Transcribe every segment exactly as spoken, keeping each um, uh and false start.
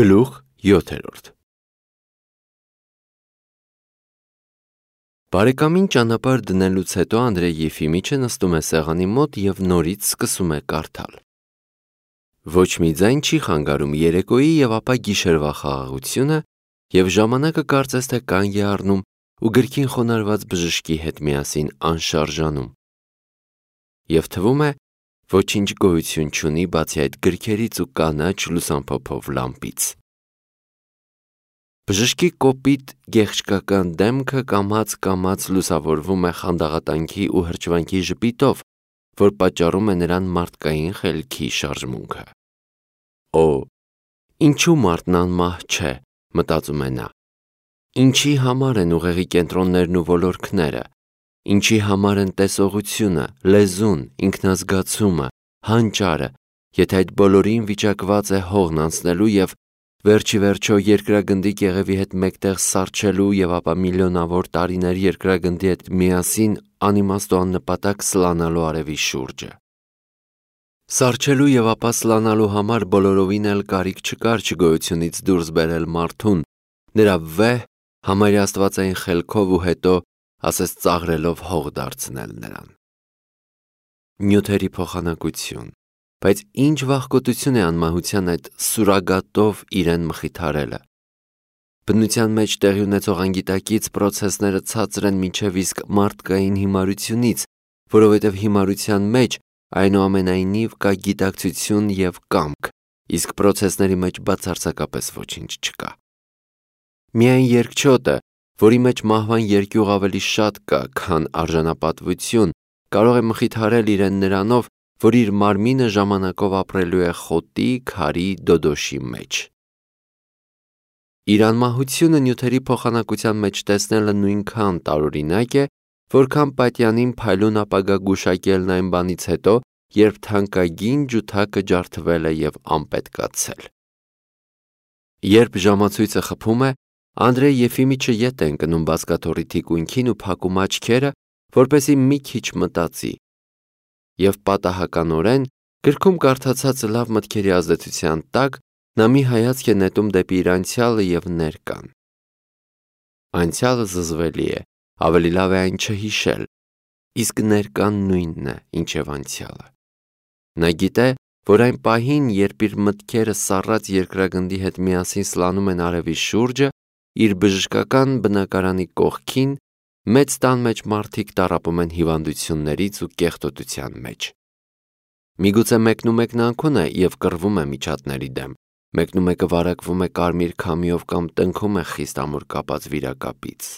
Գլուխ յոթերորդ Բարեկամին ճանապարհ դնելուց հետո Անդրեյ Եֆիմիչը նստում է սեղանի մոտ և նորից սկսում է կարդալ։ Ոչ մի ձայն չի խանգարում երեկոյի և ապա գիշերվա խաղաղությունը, և ժամանակը կարծես թե կանգ է առնում ու գրքին խոնարհված բժշկի հետ միասին անշարժանում։ Եվ թվում է, ոչինչ գոյություն չունի բացի այդ գրքերից ու կանաչ լուսամփոփով լամպից։ Բժշկի կոպիտ գեղչկական դեմքը կամաց-կամաց լուսավորվում է խանդաղատանքի ու հրճվանքի ժպիտով, որ պատճառում է նրան մարդկային խելքի շարժմունքը։ Օ, ինչու մարդն անմահ չէ, մտածում է նա։ Ինչի համար են ուղեղի կենտրոններն ու ոլորքները, ինչի համար են տեսողությունը, լեզուն, ինքնազգացումը, հանճարը, եթե այդ բոլորին վիճակված է հողն անցնելու և վերջիվերջո երկրագնդի կեղևի հետ մեկտեղ սառչելու և ապա միլիոնավոր տարիներ երկրագնդի հետ միասին անիմաստ ու աննպատակ սլանալու արևի շուրջը։ Սառչելու և ապա սլանալու համար բոլորովին էլ կարիք չկար չգոյությունից դուրս բերել մարդուն, նրա վեհ, համարյա աստվածային խելքով ու հետո, ասես ծաղրելով հող դարձնել նրան։ Նյութերի փոխանակություն, բայց ինչ վախկոտություն է անմահության այդ սուրագատով իրեն մխիթարելը։ Բնության մեջ տեղի ունեցող անգիտակից պրոցեսները ցածր են մինչև իսկ մարդկային հիմարությունից, որովհետև հիմարության մեջ այնուամենայնիվ կա գիտակցություն և կամք, իսկ պրոցեսների մեջ բացարձակապես ոչինչ չկա։ Միայն երկչոտը, որի մեջ մահվան երկյուղ ավելի շատ կա, քան արժանապատվություն, կարող է մխիթարել իրեն նրանով, որ իր մարմինը ժամանակով ապրելու է խոտի, քարի, դոդոշի մեջ։ Իր անմահությունը նյութերի փոխանակության մեջ տեսնելը նույնքան տարօրինակ է, որքան պատյանին փայլուն ապագա գուշակելն այն բանից հետո, երբ թանկագին ջութակը ջարդվել է և անպետքացել։ Երբ ժամացույցը խփում է, Անդրեյ Եֆիմիչը ետ է ընկնում բազկաթոռի թիկունքին ու փակում աչքերը, որպեսզի մի քիչ մտածի, և պատահականորեն գրքում կարդացածը լավ մտքերի ազդեցության տակ նա մի հայացք է նետում դեպի իր անցյալը և ներկան։ Անցյալը զզվելի է, ավելի լավ է այն չհիշել, իսկ ներկան նույնն է, ինչև անցյալը։ Նա գիտե, որ այն պահին, երբ իր մտքերը սառած երկրագնդի հետ միասին սլանում են արևի շուրջը, իր բժշկական բնակարանի կողքին, մեծ տան մեջ մարդիկ տառապում են հիվանդություններից ու կեղտոտության մեջ։ Միգուցե մեկնումեկն անքուն է և կռվում է միջատների դեմ, մեկնումեկը վարակվում է կարմիր քամիով կամ տնքում է խիստ ամուր կապած վիրակապից։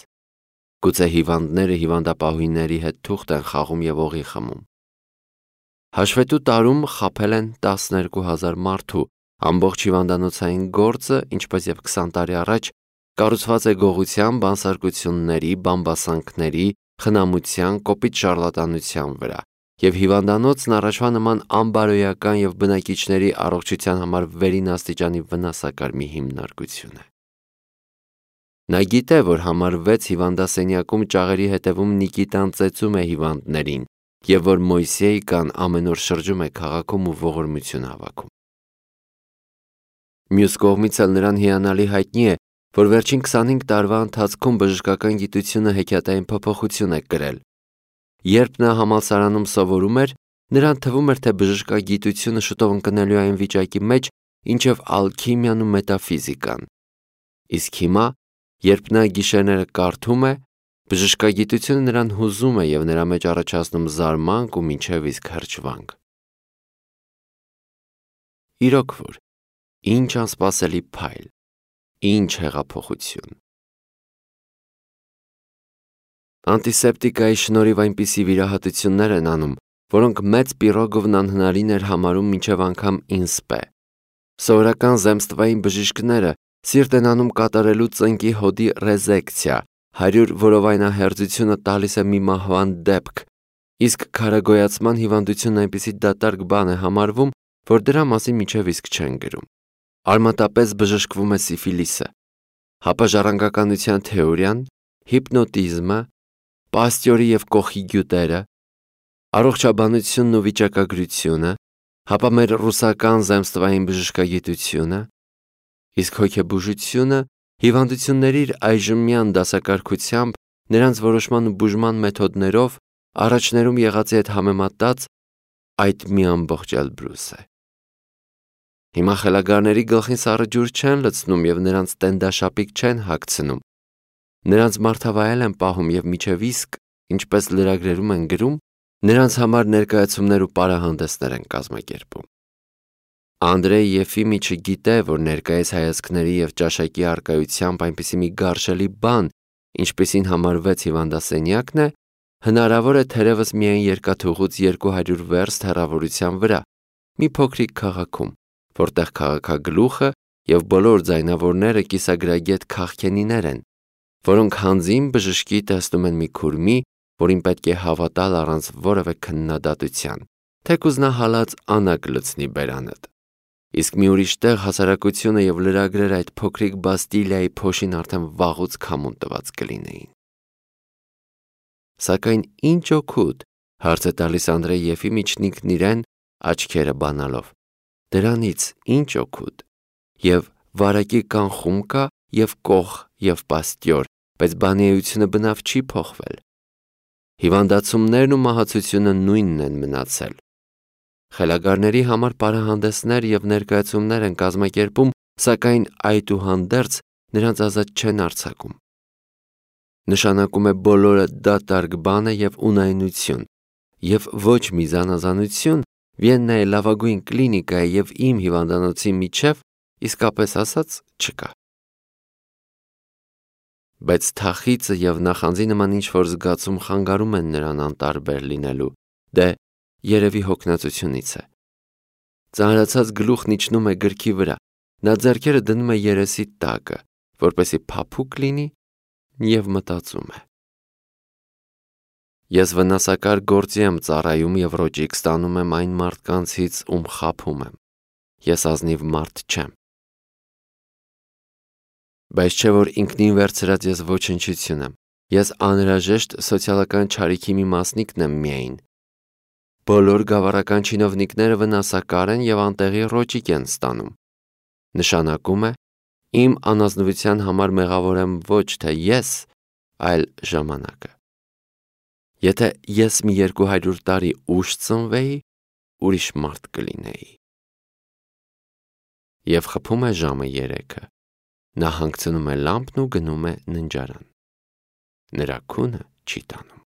Գուցե հիվանդները հիվանդապահուհիների հետ թուղթ են խաղում և օղի խմում։ Հաշվետու տարում խաբել են տասներկու հազար մարդու, ամբողջ հիվանդանոցային գործը, ինչպես և քսան տարի առաջ, կառուցված է գողության, բանսարկությունների, բամբասանքների, խնամության, կոպիտ շառլատանության վրա, և հիվանդանոցն առաջվա նման անբարոյական և բնակիչների առողջության համար վերին աստիճանի վնասակար մի հիմնարկություն է։ Նա գիտե, որ համար վեց հիվանդասենյակում ճաղերի հետևում Նիկիտան ծեծում է հիվանդներին և որ Մոյսեյկան ամեն օր շրջում է քաղաքում ու ողորմություն հավաքում։ Մյուս կողմից էլ նրան հիանալի հայտնի է, որ վերջին քսանհինգ տարվա ընթացքում բժշկական գիտությունը հեքիաթային փոփոխություն է կրել։ Երբ նա համալսարանում սովորում էր, նրան թվում էր, թե բժշկագիտությունը շուտով ընկնելու է այն վիճակի մեջ, ինչև ալքիմիան ու մետաֆիզիկան։ Իսկ հիմա, երբ նա գիշերները կարդում է, բժշկագիտությունը նրան հուզում է և նրա մեջ առաջացնում զարմանք ու մինչև իսկ հրճվանք։ Իրոք որ, ինչ անսպասելի փայլ, ինչ հեղափոխություն։ Անտիսեպտիկայի շնորհիվ այնպիսի վիրահատություններ են անում, որոնք մեծ Պիրոգովն անհնարին էր համարում մինչև անգամ ինսպե։ Սովորական զեմստվային բժիշկները սիրտ են անում կատարելու ծնկի հոդի ռեզեկցիա, հարյուր որովայնահերձությունը տալիս է մի մահվան դեպք, իսկ քարագոյացման հիվանդությունն այնպիսի դատարկ բան է համարվում, որ դրա մասին մինչև իսկ չեն գրում։ Արմատապես բժշկվում է սիֆիլիսը, հապաժառանգականության թեորիան, հիպնոտիզմը, Պաստյորի և Կոխի գյուտերը, առողջաբանությունն ու վիճակագրությունը, հապա մեր ռուսական զեմստվային բժշկագիտությունը, Իսկ հոգեբուժությունը հիվանդությունների իր այժմյան դասակարգությամբ նրանց որոշման ու բուժման մեթոդներով առաջներում եղածի հետ համեմատած այդ մի ամբողջ Էլբրուս է։ Հիմա խելագարների գլխին սառը ջուր չեն լցնում և նրանց տենդաշապիկ չեն հագցնում։ Նրանց մարդավայել են պահում և մինչև իսկ, ինչպես լրագրերում են գրում, նրանց համար ներկայացումներ ու պարահանդեսներ են կազմակերպում։ Անդրեյ Եֆիմիչը գիտե, որ ներկայիս հայացքների և ճաշակի առկայությամբ այնպիսի մի գարշելի բան, ինչպիսին համարվեց հիվանդասենյակն է, հնարավոր է թերևս միայն երկաթուղուց երկու հարյուր վերստ հեռավորության վրա, մի փոքրիկ քաղաքում, որտեղ քաղաքագլուխը և բոլոր ձայնավորները կիսագրագետ քաղքենիներ են, որոնք հանձին բժշկի տեսնում են մի քուրմի, որին պետք է հավատալ առանց որևէ քննադատության, թեկուզ նա հալած անագ լցնի բերանդ։ Իսկ մի ուրիշ տեղ հասարակությունը և լրագրերը այդ փոքրիկ Բաստիլիայի փոշին արդեն վաղուց քամուն տված կլինեին։ Սակայն ինչ օգուտ, հարց է տալիս Անդրեյ Եֆիմիչն ինքն իրեն, աչքերը բանալով, դրանից ինչ օգուտ։ Եվ վարակի կանխում կա, և կոխ, և պաստյոր, բայց բանի էությունը բնավ չի փոխվել։ Հիվանդացումներն ու մահացությունը նույնն են մնացել։ Խելագարների համար պարահանդեսներ և ներկայացումներ են կազմակերպում, սակայն այդուհանդերձ նրանց ազատ չեն արձակում։ Նշանակում է բոլորը դատարկ բան է և ունայնություն, և ոչ մի զանազանություն Վիեննայի լավագույն կլինիկայի և իմ հիվանդանոցի միջև իսկապես ասած չկա։ Բայց թախիծը և նախանձի նման ինչ-որ զգացում խանգարում են նրան անտարբեր լինելու, դե երևի հոգնածությունից է։ Ծանրացած գլուխն իջնում է գրքի վրա, նա ձեռքերը դնում է երեսի տակը, որպեսզի փափուկ լինի, և մտածում է. Ես վնասակար գործի եմ ծառայում և ռոճիկ ստանում եմ այն մարդկանցից, ում խաբում եմ։ Ես ազնիվ մարդ չեմ։ Բայց չէ որ ինքնին վերցրած ես ոչնչություն եմ։ Ես անհրաժեշտ սոցիալական չարիքի մի մասնիկն եմ միայն։ Բոլոր գավառական չինովնիկները վնասակար են և անտեղի ռոճիկ են ստանում։ Նշանակում է, իմ անազնվության համար մեղավոր եմ ոչ թե ես, այլ ժամանակը։ Եթե ես մի երկու հարյուր տարի ուշ ծնվեի, ուրիշ մարդ կլինեի։ Եվ խփում է ժամը երեքը։ Նա հանգցնում է լամպն ու գնում է ննջարան։ Նրա քունը չի տանում։